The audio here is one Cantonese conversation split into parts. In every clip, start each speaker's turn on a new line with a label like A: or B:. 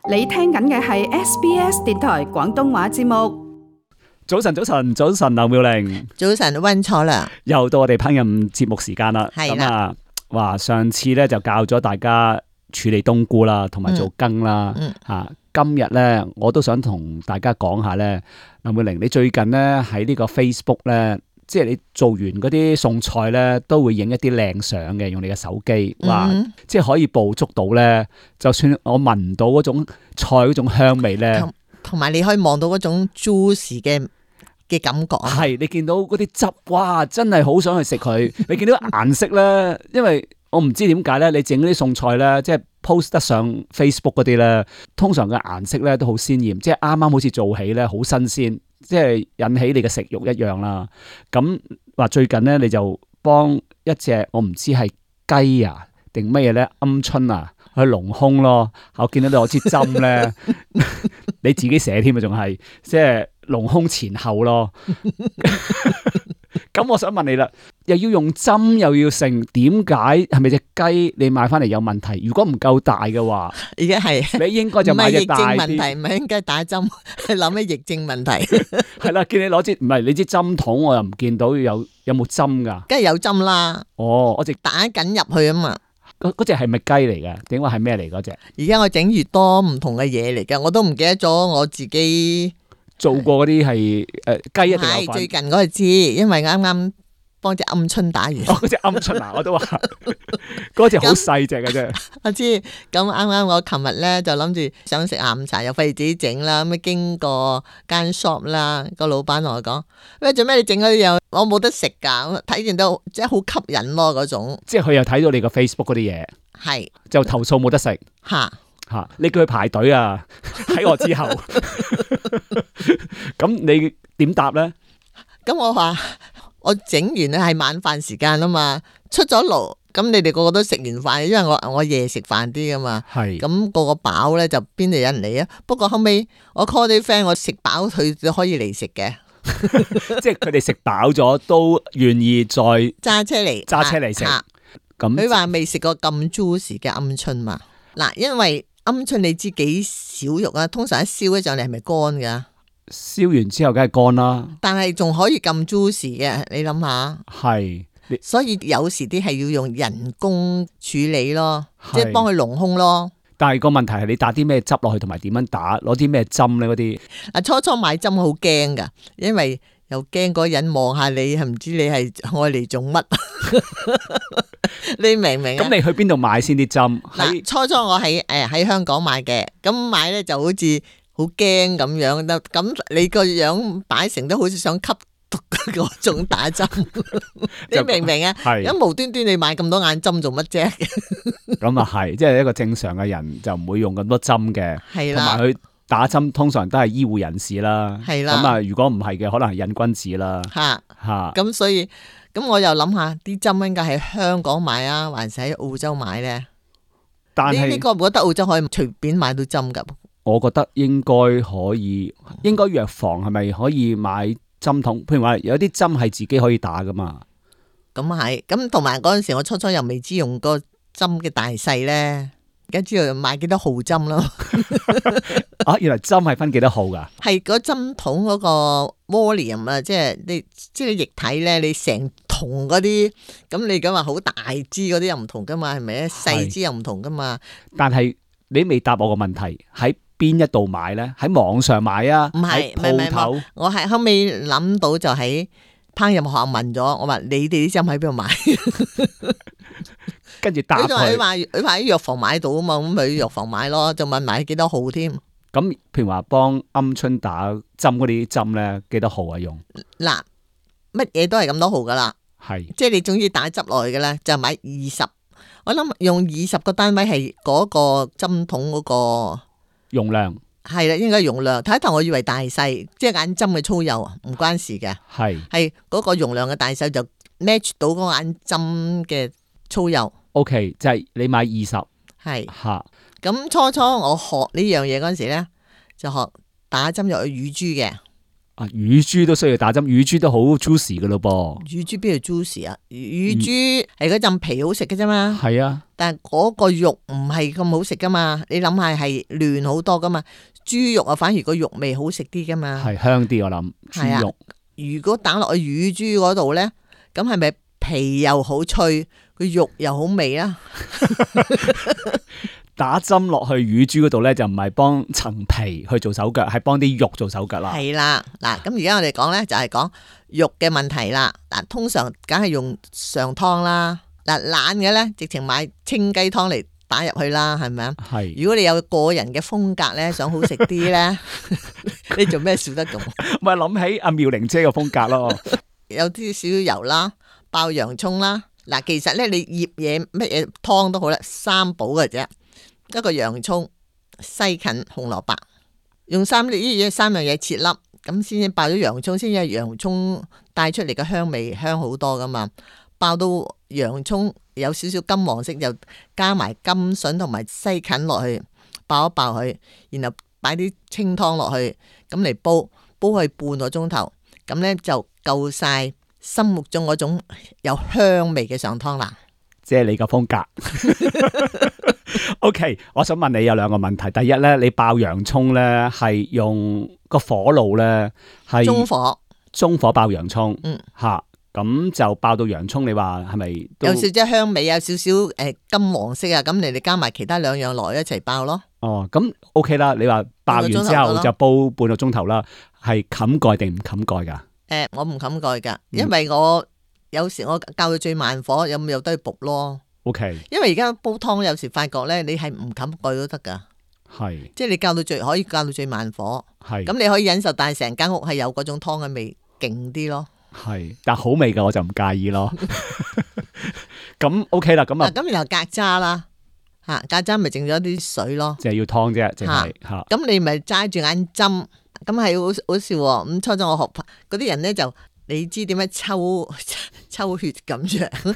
A: 你聽緊嘅係 SBS 電台廣東話節目。
B: 早晨，劉妙玲。
C: 早晨，溫楚良。
B: 又到我哋烹飪節目時間啦。
C: 係啦。
B: 話上次咧就教咗大家處理冬菇啦，同埋做羹啦。今日咧我都想同大家講下咧，劉妙玲，你最近咧喺呢個 Facebook 咧，即係你做完嗰啲餸菜咧，都會影一啲靚相嘅，用你嘅手機，即係可以捕捉到咧，就算我聞唔到嗰種菜嗰種香味咧，
C: 同埋你可以望到嗰種 juicy 嘅感覺。
B: 係，你見到嗰啲汁，哇，真係好想去食佢。你見到顏色咧，因為我唔知點解咧，你整嗰啲餸菜咧，即係 post 得上 Facebook 嗰啲咧，通常嘅顏色咧都好鮮豔，即係啱啱好似做起咧，好新鮮，即係引起你嘅食慾一樣啦。咁話最近咧，你就幫一隻我唔知係雞啊定乜嘢咧，鵪鶉啊去隆胸咯。我見到你攞支針咧，你自己寫添啊，仲係即係隆胸前後咯。咁我想問你啦，又要用針又要成，點解？係咪隻雞你買翻嚟有問題？如果唔夠大嘅話，
C: 而家係
B: 你應該就買隻大啲。
C: 唔係疫症問題，唔係應該打針，係諗起疫症問題。
B: 係啦，見你攞支唔係你支針筒，我又唔見到有冇針噶？
C: 梗係有針啦。
B: 哦，我直
C: 打緊入去啊嘛。
B: 嗰隻係咪雞嚟嘅？點解係咩嚟嗰隻？
C: 而家我整越多唔同嘅嘢嚟嘅，我都唔記得咗我自己
B: 做過嗰啲係雞一定有份。
C: 係最近嗰個知，因為啱啱幫隻鵪鶉打完。
B: 嗰隻鵪鶉啊，我都話嗰隻好細隻嘅啫。
C: 我知，咁啱啱我琴日咧就諗住想食下午茶，又費事自己整啦，咁經過間 shop 啦，個老闆同我講：喂，做咩你整嗰啲嘢？我冇得食噶，睇見到即係好吸引咯嗰種。
B: 即係佢又睇到你個 Facebook 嗰啲嘢，
C: 係
B: 就投訴冇得食。
C: 吓。
B: 你叫佢排隊啊！喺我之後，咁你點答咧？
C: 咁我話我整完咧係晚飯時間啊嘛，出咗爐，咁你哋個個都食完飯，因為我夜食飯啲噶嘛，係咁個個飽咧就邊度有人嚟啊？不過後尾我 call 啲 friend，我食飽佢都可以嚟食嘅，
B: 即係佢哋食飽咗都願意再
C: 揸車嚟食。咁佢話未食過咁 juicy 嘅鵪鶉嘛？嗱，因為鵪鶉你知幾少肉啊？通常一燒起上嚟係咪乾噶？
B: 燒完之後梗係乾啦，
C: 但係仲可以咁 juicy 嘅，你諗下。
B: 係，
C: 所以有時啲係要用人工處理咯，即係幫佢隆胸咯。
B: 但係個問題係你打啲咩汁落去，同埋點樣打，攞啲咩針咧？嗰啲
C: 初買針好驚噶，因為又驚嗰個人望下你，係唔知你係愛嚟做乜？你明唔明啊？
B: 咁你去邊度買先啲針？
C: 初我喺香港買嘅，咁買咧就好似好驚咁樣，咁你個樣擺成都好似想吸毒嗰種打針，你明唔明啊？咁無端端你買咁多眼針做乜啫？
B: 咁啊係，即係一個正常嘅人就唔會用咁多針嘅，
C: 係啦，
B: 同埋佢打針通常都係醫護人士啦，
C: 係啦。
B: 咁啊，如果唔係嘅，可能係癮君子啦。
C: 咁所以咁我又諗下啲針應該喺香港買啊，還是喺澳洲買咧？
B: 但係
C: 你覺唔覺得澳洲可以隨便買到針噶？
B: 我覺得應該可以，應該藥房係咪可以買針筒？譬如話有啲針係自己可以打噶嘛？
C: 咁係，咁同埋嗰陣時我初又未知用個針嘅大細咧，而家知道買幾多號針咯。
B: 原來針係分幾多號噶？
C: 係嗰針筒嗰個 volume 啊，即係你液體咧，你成筒嗰啲，咁你咁話好大支嗰啲又唔同噶嘛，係咪？細支又唔同噶嘛。
B: 但係你未答我個問題，喺邊一度買咧？喺網上買啊？
C: 唔係，鋪頭。我係後尾諗到就喺烹飪學校問咗，我話你哋啲針喺邊度買？
B: 跟住答佢。
C: 佢話喺藥房買到啊嘛，咁去藥房買咯，就問埋幾多號添。
B: 咁譬如話幫鵪鶉打針嗰啲針咧，幾多號啊用？
C: 嗱，乜嘢都係咁多號噶啦，
B: 係，
C: 即係你總之打汁落去嘅咧，就買20。我諗用20個單位係嗰個針筒嗰個
B: 容量。
C: 係啦，應該容量。睇頭我以為大細，即係眼針嘅粗幼啊，唔關事嘅。係嗰個容量嘅大細就 match 到嗰個眼針嘅粗幼。
B: OK， 就係你買20。
C: 係
B: 吓。
C: 咁初我學呢樣嘢嗰陣時咧，就學打針入去乳豬嘅。
B: 乳豬都需要打針，乳豬都好 juicy 噶咯噃。
C: 乳豬邊度 juicy 啊？乳豬係嗰陣皮好食嘅啫嘛。
B: 係啊，
C: 但係嗰個肉唔係咁好食噶嘛。你諗下係嫩好多噶嘛。豬肉啊，反而個肉味好食啲噶嘛。
B: 係香啲我諗。豬肉
C: 如果打落去乳豬嗰度咧，咁係咪皮又好脆，個肉又好味啊？
B: 打針落去乳豬嗰度咧，就唔係幫層皮去做手腳，係幫啲肉做手腳啦。係
C: 啦，嗱，咁而家我哋講咧就係講肉嘅問題啦。嗱，通常梗係用上湯啦。嗱，懶嘅咧，直情買清雞湯嚟打入去啦，係咪啊？係。如果你有個人嘅風格咧，想好食啲咧，你做咩笑得咁？
B: 咪諗起阿妙玲姐嘅風格咯。
C: 有啲少少油啦，爆洋蔥啦。嗱，其實咧你醃嘢乜嘢湯都好啦，三寶嘅啫。一個洋蔥、西芹、紅蘿蔔，用三樣嘢切粒，咁先至爆咗洋蔥，先至洋蔥帶出嚟嘅香味香好多噶嘛。爆到洋蔥有少少金黃色，就加埋甘筍同埋西芹落去，爆一爆佢，然後擺啲清湯落去，咁嚟煲佢半個鐘頭，咁呢就夠晒心目中嗰種有香味嘅上湯啦。
B: 即係你個風格。OK， 我想問你有兩個問題。第一咧，你爆洋蔥咧係用個火爐咧係中火爆洋蔥，吓咁就爆到洋蔥。你話係咪有
C: 少少香味，有少少金黃色啊？咁你哋加埋其他兩樣落一齊爆咯。
B: 哦，咁 OK 啦。你話爆完之後就煲半個鐘頭啦，係冚蓋定唔冚蓋噶？
C: 我唔冚蓋噶，因為我有時我較到最慢火，有都去焗咯。
B: OK，
C: 因為而家煲湯有時發覺咧，你係唔冚蓋都得噶，係，即係你可以較到最慢火，係，咁你可以忍受，但係成間屋係有嗰種湯嘅味勁啲咯，係，
B: 但好味噶我就唔介意咯。咁 OK 啦，咁啊，
C: 咁然後隔渣啦，吓隔渣咪剩咗啲水咯，
B: 就係要湯啫，淨係吓，
C: 咁你咪揸住眼針，咁係好笑喎，咁初初我學嗰啲人咧就。你知點樣抽血咁樣，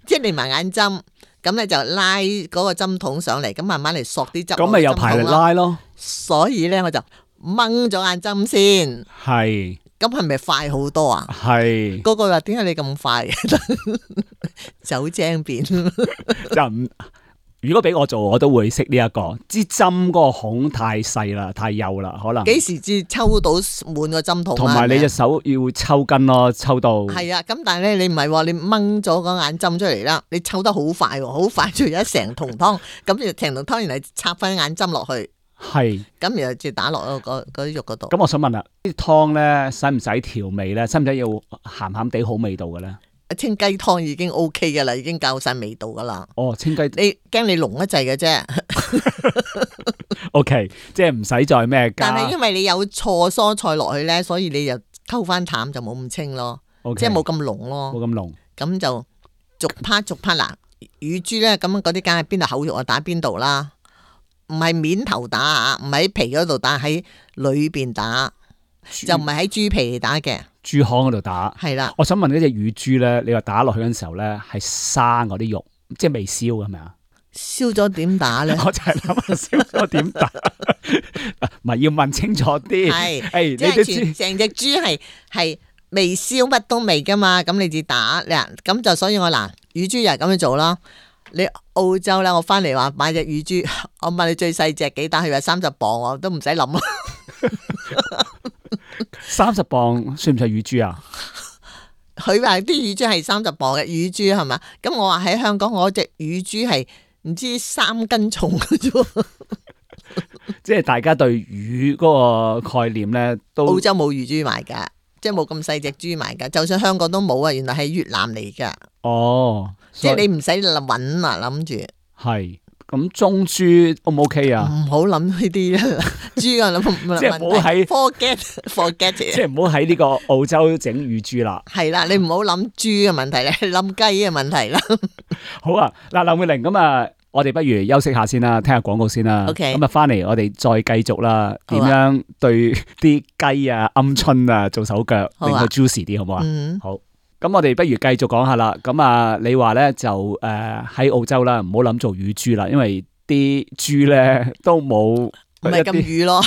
C: 即係你埋眼針，咁咧就拉嗰個針筒上嚟，咁慢慢嚟索啲汁。
B: 咁咪有排力拉咯。
C: 所以咧我就掹咗眼針先。係。咁係咪快好多啊？係。嗰個話點解你咁快？走精便。就唔。
B: 如果俾我做，我都會識呢一個支針嗰個孔太細啦，太幼啦，可能
C: 幾時至抽到滿個針筒？
B: 同埋你隻手要抽筋咯，抽到
C: 係啊。咁但係咧，你唔係喎，你掹咗個眼針出嚟啦，你抽得好快喎，好快就一成桶湯，咁就成桶湯，然後插翻眼針落去，係咁然後就打落嗰啲肉嗰度。
B: 咁我想問啦，啲湯咧使唔使調味咧？使唔使要鹹鹹地好味道嘅咧？
C: 清雞湯已經 OK 噶啦，已經夠晒味道噶啦。
B: 哦，清雞，
C: 你驚你濃一滯嘅啫。
B: OK， 即係唔使再咩加。
C: 但係因為你有錯蔬菜落去咧，所以你就溝翻淡就冇咁清咯。Okay，即係冇咁濃咯。冇咁濃。咁就逐 part 嗱，乳豬咧咁嗰啲梗係邊度口肉啊打邊度啦，唔係面頭打啊，唔係喺皮嗰度打，喺裏邊打，就唔係喺豬皮打嘅。
B: 豬腔嗰度打，係啦。我想問呢隻乳豬咧，你話打落去嗰陣時候咧，係生嗰啲肉，即係未燒嘅係咪啊？
C: 燒咗點打咧？我就係諗
B: 燒咗點打，唔係要問清楚啲。係，
C: 即係成隻豬係未燒乜都未噶嘛？咁你至打嗱，咁就所以我嗱乳豬又係咁樣做啦。你澳洲咧，我翻嚟話買隻乳豬，我問你最細隻幾大？佢話30磅，我都唔使諗啦。
B: 30磅算唔算乳豬啊？
C: 佢話啲乳豬係30磅嘅乳豬係嘛？咁我話喺香港我隻乳豬係唔知3斤重嘅啫。
B: 即係大家對乳嗰個概念咧，都
C: 澳洲冇乳豬賣噶，即係冇咁細隻豬賣噶。就算香港都冇啊，原來係越南嚟噶。哦，即係你唔使搵啊，諗住
B: 係。咁中豬 O 唔 OK 啊？
C: 唔好諗呢啲啦，豬啊諗，
B: 即係唔好喺
C: forget，
B: 即係唔好喺呢個澳洲整乳豬啦。
C: 係啦，你唔好諗豬嘅問題咧，諗雞嘅問題啦。
B: 好啊，嗱，劉美玲咁啊，我哋不如休息下先啦，聽下廣告先啦。OK，咁啊，翻嚟我哋再繼續啦，點樣對啲雞啊、鵪鶉啊做手腳，令佢 juicy 啲，好唔好啊？好。咁我哋不如繼續講下啦。咁啊，你話咧就喺澳洲啦，唔好諗做乳豬啦，因為啲豬咧都冇
C: 唔係咁乳咯。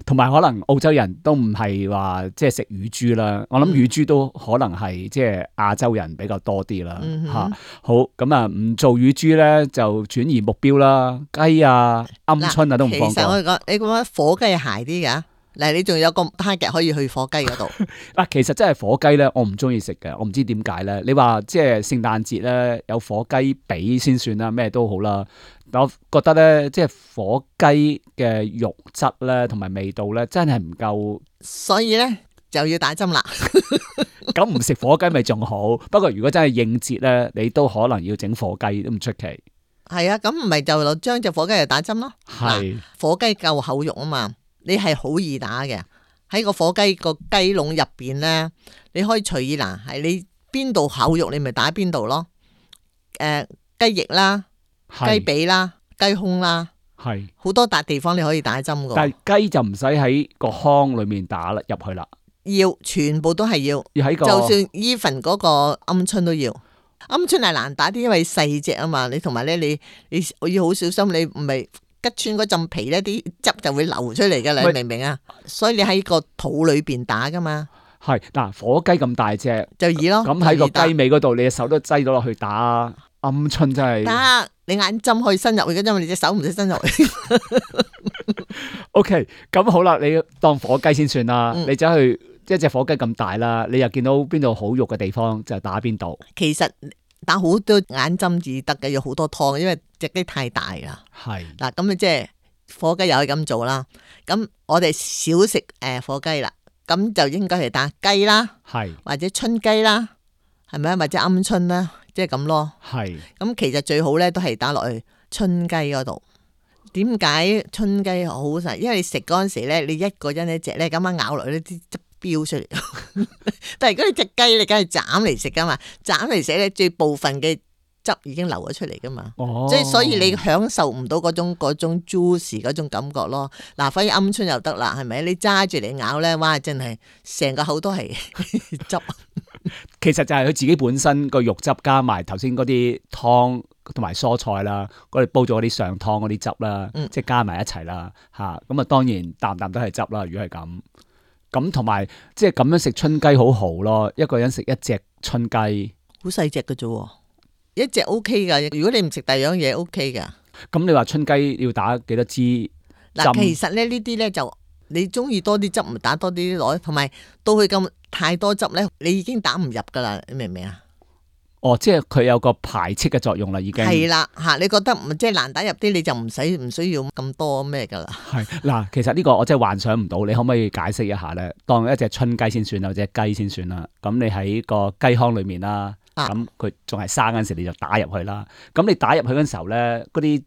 B: 同埋可能澳洲人都唔係話即係食乳豬啦，我諗乳豬都可能係即係亞洲人比較多啲啦嚇。好咁啊，唔做乳豬咧就轉移目標啦，雞啊、鵪鶉啊都唔放過。
C: 其實我講你講火雞係鞋啲㗎。嗱，你仲有個 target 可以去火雞嗰度。
B: 嗱，其實真係火雞咧，我唔中意食嘅，我唔知點解咧。你話即係聖誕節咧有火雞髀先算啦，咩都好啦。但我覺得咧，即係火雞嘅肉質咧同埋味道咧，真係唔夠。
C: 所以咧就要打針啦。
B: 咁唔食火雞咪仲好，不過如果真係應節咧，你都可能要整火雞都唔出奇。
C: 係啊，咁唔係就將隻火雞嚟打針咯。
B: 係
C: 火雞夠厚肉啊嘛。你係好易打嘅，喺個火雞個雞籠入邊咧，你可以隨意嗱，係你邊度厚肉，你咪打邊度咯。雞翼啦、雞髀啦、雞胸啦，係好多笪地方你可以打針噶。
B: 但係雞就唔使喺個腔裏面打入去啦，
C: 要全部都係要喺個，就算 even 嗰個鵪鶉都要。鵪鶉係難打啲，因為細隻啊嘛，你同埋咧你要好小心，你唔係。吉穿嗰陣皮咧，啲汁就會流出嚟噶啦，你明唔明啊？所以你喺個肚裏邊打噶嘛。
B: 係嗱，火雞咁大隻
C: 就易咯。咁
B: 喺個雞尾嗰度，你隻手都擠到落去打鵪鶉，真係
C: 得。你眼針可以伸入去嘅，因為你隻手唔使伸入去。
B: OK， 咁好啦，你當火雞先算啦。你走去一隻火雞咁大啦，你又見到邊度好肉嘅地方就打邊度。
C: 其實打好多眼針至得嘅，要好多湯，因為隻雞太大啦。係嗱，咁你即係火雞又可以咁做啦。咁我哋少食火雞啦，咁就應該係打雞啦，係或者春雞啦，係咪啊？或者鵪鶉啦，即係咁咯。係咁，其實最好咧都係打落去春雞嗰度。點解春雞好食？因為你食嗰陣時咧，你一個人一隻咧，咁樣咬落去啲汁飆出嚟。但係如果你隻雞，你梗係斬嚟食噶嘛，斬嚟食咧，最部分嘅汁已經流咗出嚟噶嘛。即係所以你享受唔到嗰種 juicy 嗰種感覺咯。嗱，反而鵪鶉又得啦，係咪？你揸住嚟咬咧，哇，真係成個口都係汁。
B: 其實就係佢自己本身個肉汁加埋頭先嗰啲湯同埋蔬菜啦，我哋煲咗嗰啲上湯嗰啲汁啦，即係加埋一齊啦，吓咁啊，當然啖啖都係汁啦。如果係咁同埋即係咁樣食春雞好豪咯，一個人食一隻春雞，好細隻嘅啫，一隻 OK 噶。如果你唔食第二樣嘢 OK 噶。咁你話春雞要打幾多支針？嗱，其實咧呢啲咧就你中意多啲汁，咪打多啲落，同埋到佢咁太多汁咧，你已經打唔入噶啦，你明唔明啊？哦，即係佢有個排斥嘅作用啦，已經係啦吓。你覺得即係難打入啲，你就唔需要咁多咩噶啦。係嗱，其實呢個我真係幻想唔到，你可唔可以解釋一下咧？當一隻春雞先算啦，或者雞先算啦。咁你喺個雞腔裏面啦，咁佢仲係生嗰陣時，你就打入去啦。咁你打入去嗰陣時候咧，嗰啲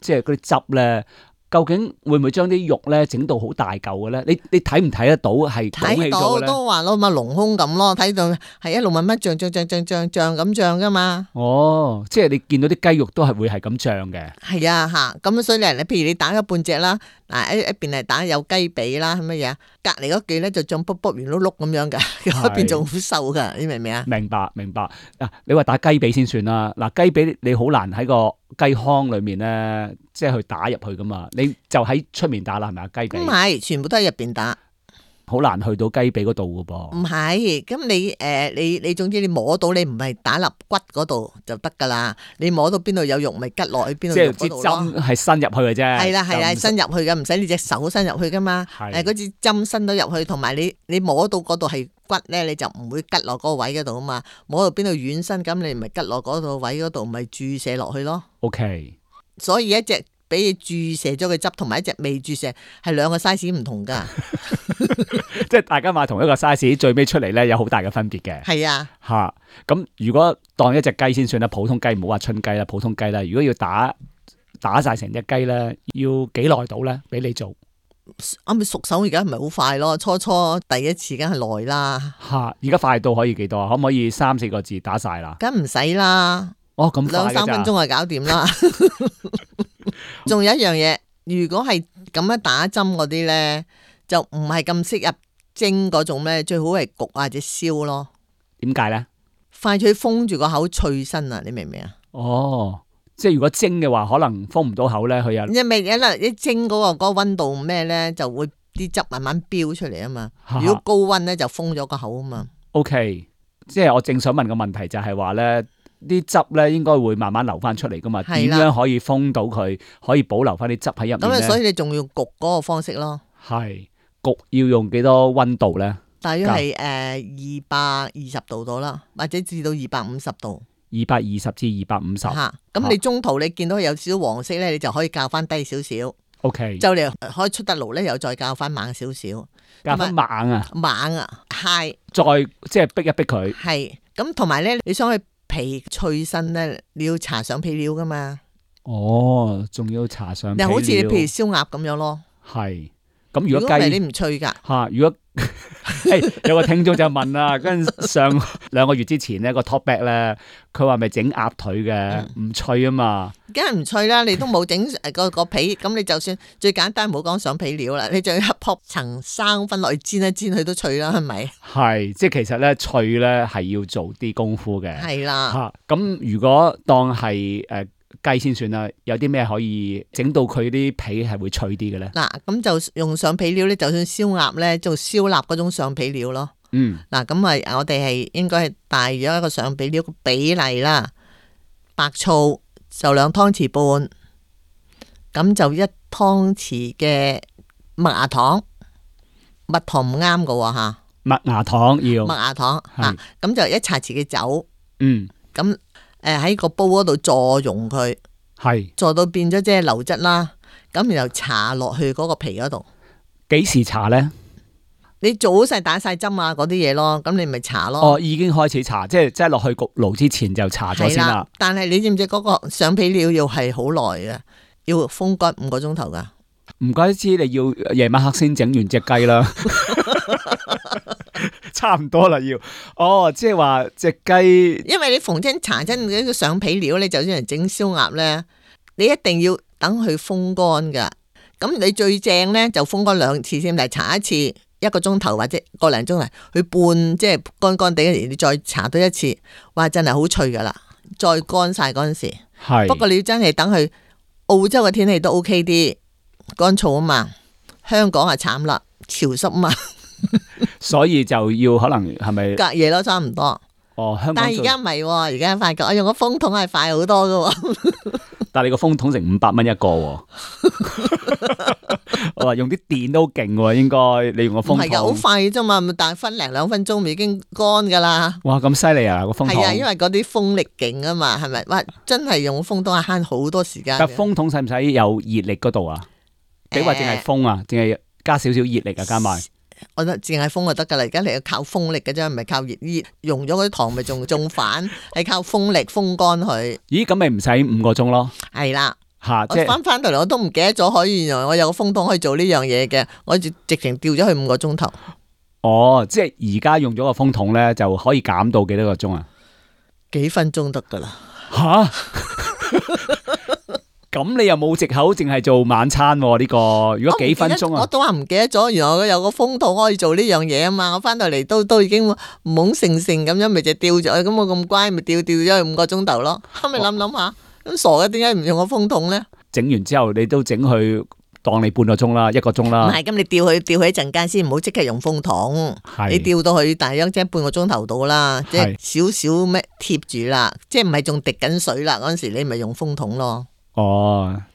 B: 即係嗰啲汁咧。究竟會唔會將啲肉咧整到好大嚿嘅咧？你睇唔睇得到係睇到都話咯，咪隆胸咁咯，睇到係一路慢慢脹咁脹噶嘛。哦，即係你見到啲雞肉都係會係咁脹嘅。係啊，吓咁所以你譬如你打咗半隻啦，嗱一邊係打有雞髀啦，係乜嘢？隔籬嗰幾咧就脹卜卜圓碌碌咁樣噶，嗰邊仲好瘦噶，你明唔明啊？明白。嗱，你話打雞髀先算啦。嗱，雞髀你好難喺個雞腔裏面咧，即係去打入去噶嘛。你就喺出面打啦，係咪啊？雞髀唔係，全部都喺入邊打，好難去到雞髀嗰度噶噃。唔係，咁你總之你摸到，你唔係打入骨嗰度就得噶啦。你摸到邊度有肉，咪吉落去邊度肉嗰度咯。即係支針係伸入去嘅啫。係啦，伸入去嘅，唔使你隻手伸入去噶嘛。嗰支針伸到入去，同埋你摸到嗰度係骨咧，你就唔會吉落嗰個位嗰度啊嘛。摸到邊度軟身，咁你咪吉落嗰度位嗰度，咪注射落去咯。OK， 所以一隻俾你注射咗個汁，同埋一隻未注射係兩個 size 唔同噶。即係大家買同一個 size， 最尾出嚟咧有好大嘅分別嘅。係啊，吓咁如果當一隻雞先算啦，普通雞唔好話春雞啦，普通雞啦，如果要打晒成隻雞咧，要幾耐到咧？俾你做啱咪熟手，而家唔係好快咯。初第一次梗係耐啦。吓，而家快到可以幾多啊？可唔可以3-4個字打晒啦？梗唔使啦。哦，咁快2-3分鐘就搞掂啦。仲有一樣嘢，如果係咁樣打針嗰啲咧，就唔係咁適合蒸嗰種咧，最好係焗或者燒咯。點解咧？快脆封住個口脆身啊！你明唔明啊？哦，即係如果蒸嘅話，可能封唔到口咧，佢有一蒸嗰個溫度咩咧，就會
C: 啲汁慢慢飆出嚟啊嘛。
B: 哈哈
C: 如果高溫咧就封咗個口啊嘛。
B: OK， 即係我正想問個問題就係話咧，啲汁咧應該會慢慢流翻出嚟噶嘛？點樣可以封到佢，可以保留翻啲汁喺入面咧？
C: 咁所以你仲要焗嗰個方式咯。
B: 係焗要用幾多溫度咧？
C: 大約係220度到啦，或者至到250度。
B: 220至250。
C: 嚇，咁你中途你見到有少少黃色咧，你就可以較翻低少少。
B: OK，
C: 就嚟可以出得爐咧，又再較翻猛少少。
B: 較翻猛啊！
C: 猛啊，high。
B: 再即係逼一逼佢。
C: 係，咁同埋咧，你想去皮脆身咧，你要搽上皮料噶嘛。
B: 哦，仲要搽上皮料。
C: 你好似你譬如燒鴨咁樣咯。
B: 係。咁如果雞
C: 你唔脆噶
B: 嚇，如果有個聽眾就問啦，跟上2個月之前咧個 topic 咧，佢話咪整鴨腿嘅，唔脆啊嘛，
C: 梗係唔脆啦，你都冇整個皮，咁你就算最簡單，唔好講上皮料啦，你就要撲層生粉落去煎一煎佢都脆啦，係咪？
B: 係，即係其實咧脆咧係要做啲功夫嘅，
C: 係啦
B: 嚇。咁如果當係雞先算啦，有啲咩可以整到佢啲皮係會脆啲嘅咧？
C: 嗱，咁就用上皮料咧，就算燒鴨咧，做燒臘嗰種上皮料咯。嗱，咁我哋係應該係大約一個上皮料嘅比例啦。白醋就2湯匙半，咁就1湯匙嘅麥芽糖，蜜糖唔啱㗎喎嚇。
B: 麥芽糖要。
C: 麥芽糖嚇，咁就1茶匙嘅酒。咁喺個煲嗰度助溶佢，助到變咗即係流質啦。咁然後搽落去嗰個皮嗰度。
B: 幾時搽咧？
C: 你做好晒打晒針啊嗰啲嘢咯，咁你咪搽咯。
B: 哦，已經開始搽，即係落去焗爐之前就搽咗先啦。
C: 但係你知唔知嗰個上皮料要係好耐嘅，要風乾5個鐘頭噶。
B: 唔怪得知你要夜晚黑先整完隻雞啦。差唔多啦，要即係話隻雞，
C: 因為你逢親搽親嗰個上皮料，你就算係整燒鴨咧，你一定要等佢風乾噶。咁你最正咧就風乾2次先，但係搽一次1個鐘頭或者個零鐘頭，去半即係乾乾地嗰時，你再搽多1次，哇真係好脆噶啦！再乾晒嗰陣時，不過你要真係等佢澳洲嘅天氣都 OK 啲，乾燥啊嘛，香港啊慘啦，潮濕啊嘛。
B: 所以就要可能係咪
C: 隔夜咯，差唔多。
B: 香港
C: 但係而家唔係，而家發覺我用個風筒係快好多噶。
B: 但係你個風筒成500蚊一個。我話用啲電都勁喎，應該你用個風筒。唔係噶，好
C: 快啫嘛，但係分零2分鐘已經乾噶啦。
B: 哇，咁犀利啊個風筒！
C: 係啊，因為嗰啲風力勁啊嘛，係咪？哇，真係用風筒係慳好多時間。
B: 但風筒使唔使有熱力嗰度啊？你話淨係風啊？淨係加少少熱力啊？加埋？
C: 我覺得淨係風就得噶啦，而家你要靠風力嘅啫，唔係靠熱。溶咗嗰啲糖咪仲反，係靠風力風乾佢。
B: 咦，咁咪唔使5個鐘咯？
C: 係啦，
B: 我
C: 翻到嚟我都唔記得咗，可以原來我有個風筒可以做呢樣嘢嘅，我直情掉咗去5個鐘頭。
B: 即係而家用咗個風筒咧，就可以減到幾多個鐘啊？
C: 幾分鐘得噶啦。
B: 吓？咁你又冇藉口，淨係做晚餐呢個？如果幾分鐘啊？
C: 我都話唔記得咗，原來我有個風筒可以做呢樣嘢啊嘛！我翻到嚟都已經懵盛盛咁樣，咪就掉咗。咁我咁乖，咪掉咗去5個鐘頭咯。後尾諗下，咁傻嘅，點解唔用個風筒咧？
B: 整完之後，你都整佢當你半個鐘啦，1個鐘啦。
C: 唔係，咁你吊佢一陣間先，唔好即刻用風筒。你吊到佢大約即係半個鐘頭到啦，即係少少咩貼住啦，即係唔係仲滴緊水啦嗰陣時，你咪用風筒咯。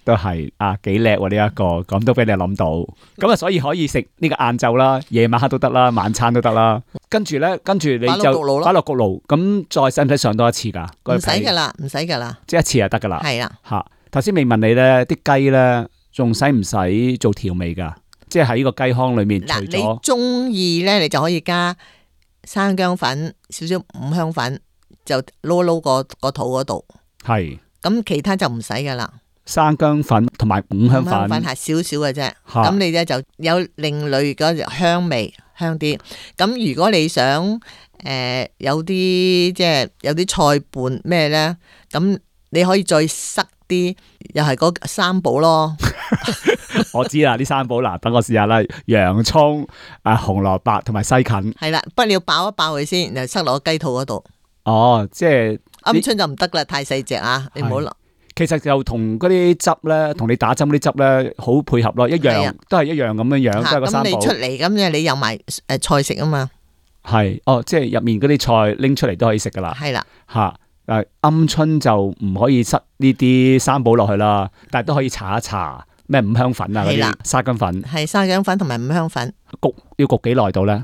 B: 都係幾叻喎呢一個，咁都俾你諗到，咁啊所以可以食呢個晏晝啦，夜晚黑都得啦，晚餐都得啦。跟住你就擺落焗爐，咁再使唔使上多一次噶？
C: 唔使噶啦，唔使噶啦，
B: 即係一次就得噶啦。
C: 係啦，
B: 頭先未問你咧，啲雞咧仲使唔使做調味噶？即係喺呢個雞腔裏面，除咗
C: 你中意咧，你就可以加生薑粉、少少五香粉，就撈個肚嗰度。
B: 係。咁
C: 其他就唔使噶啦，
B: 生薑粉同埋五香粉
C: 係少少嘅啫。咁你咧就有另類嗰隻香味，香啲。咁如果你想有啲即係有啲菜伴咩咧，咁你可以再塞啲，又係嗰三寶咯。
B: 我知啦，啲三寶嗱，等我試下啦，洋蔥、紅蘿蔔同埋西芹。係
C: 啦，不過你要爆一爆佢先，然後塞落個雞肚嗰度。
B: 即係。
C: 鵪鶉就唔得啦，太細隻啊！你唔好落。
B: 其實就同嗰啲汁咧，同你打針嗰啲汁咧，好配合咯，一樣都係一樣咁樣樣，都係個三寶。咁
C: 你出嚟咁你有埋菜食啊嘛？
B: 係即係入面嗰啲菜拎出嚟都可以食噶啦。
C: 係啦，
B: 鵪鶉就唔可以塞呢啲三寶落去啦，但係都可以搽一搽咩五香粉啊嗰啲沙姜粉。
C: 係沙姜粉同埋五香粉。
B: 要焗幾耐到咧？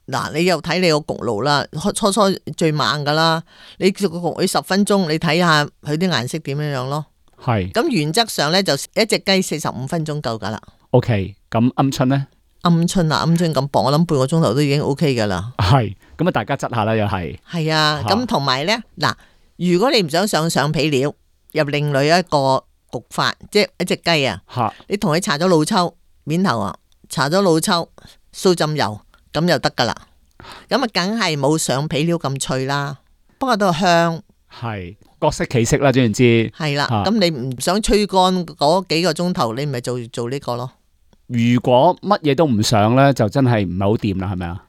C: 嗱，你又睇你個焗爐啦，初最猛噶啦，你焗佢10分鐘，你睇下佢啲顏色點樣樣咯。係。咁原則上咧就一隻雞45分鐘夠噶啦。OK， 咁鵪鶉咧？鵪鶉咁薄，我諗半個鐘頭都已經 OK 噶啦。係，咁大家執下啦，又係。係啊，咁同埋咧，嗱，如果你唔想上上皮料，又另類一個焗法，即係一隻雞啊，你同佢搽咗老抽面頭啊，搽咗老抽素浸油，咁就得噶啦。咁啊，梗係冇上皮料咁脆啦，不過都香。係各色其色啦，總言之。係啦，咁你唔想吹乾嗰幾個鐘頭，你咪做呢個咯。如果乜嘢都唔上咧，就真係唔係好掂啦，係咪啊？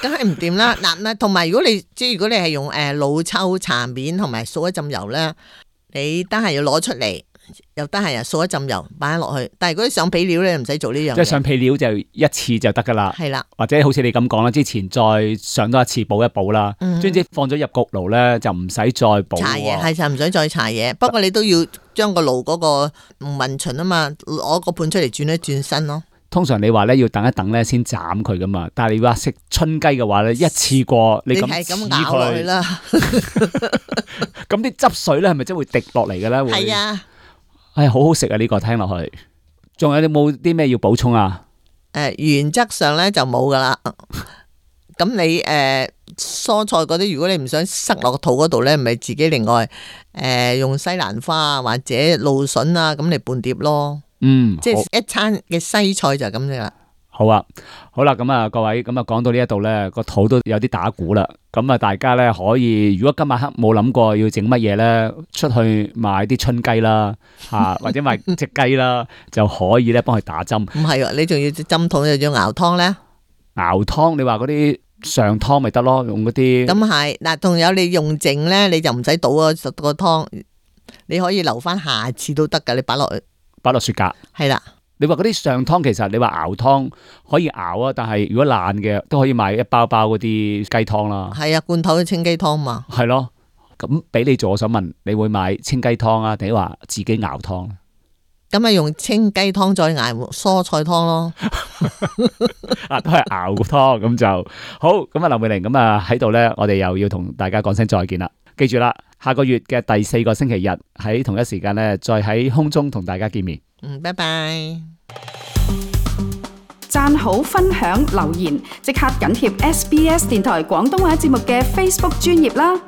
C: 梗係唔掂啦。嗱，同埋如果你係用老抽搽面同埋掃一浸油咧，你得閒要攞出嚟，又得閒又掃一浸油擺落去。但係如果上皮料咧，唔使做呢樣。即係上皮料就一次就得噶啦。係啦，或者好似你咁講啦，之前再上多一次補一補啦。總之放咗入焗爐咧，就唔使再補。搽嘢係就唔使再搽嘢，不過你都要將個爐嗰個唔勻循啊嘛，攞個盤出嚟轉一轉身咯。通常你話咧要等一等咧先斬佢噶嘛，但係你話食春雞嘅話咧，一次過你咁咬落去啦，咁啲汁水咧係咪真會滴落嚟嘅咧？係啊，好好食啊！呢個聽落去，仲有你冇啲咩要補充啊？原則上咧就冇噶啦。咁你蔬菜嗰啲，如果你唔想塞落個肚嗰度咧，咪自己另外用西蘭花啊或者蘆筍啊咁嚟拌碟咯。即係一餐嘅西菜就係咁樣啦。好啊，好啦，咁啊各位，咁啊講到呢一度咧，個肚都有啲打鼓啦。咁啊大家咧可以，如果今晚黑冇諗過要整乜嘢咧，出去買啲春雞啦，或者買隻雞啦，就可以咧幫佢打針。唔係啊，你仲要針筒又要熬湯咧？熬湯，你話嗰啲上湯咪得咯，用嗰啲。咁係嗱，仲有你用剩咧，你就唔使倒個湯，你可以留翻下次都得噶，你擺落雪格。係啦，你話嗰啲上湯，其實你話熬湯可以熬啊，但係如果爛嘅都可以買一包嗰啲雞湯啦。係啊，罐頭嘅清雞湯嘛。係咯，咁俾你做，我想問你會買清雞湯啊，定係話自己熬湯？咁咪用清雞湯再熬蔬菜湯咯。都係熬個湯咁就好。咁啊，劉美玲咁啊喺度咧，我哋又要同大家講聲再見啦。記住啦，下個月嘅第4個星期日喺同一時間咧，再喺空中同大家見面。拜拜。
A: 讚好、分享、留言，即刻緊貼SBS 電台廣東話節目嘅 Facebook 專頁啦。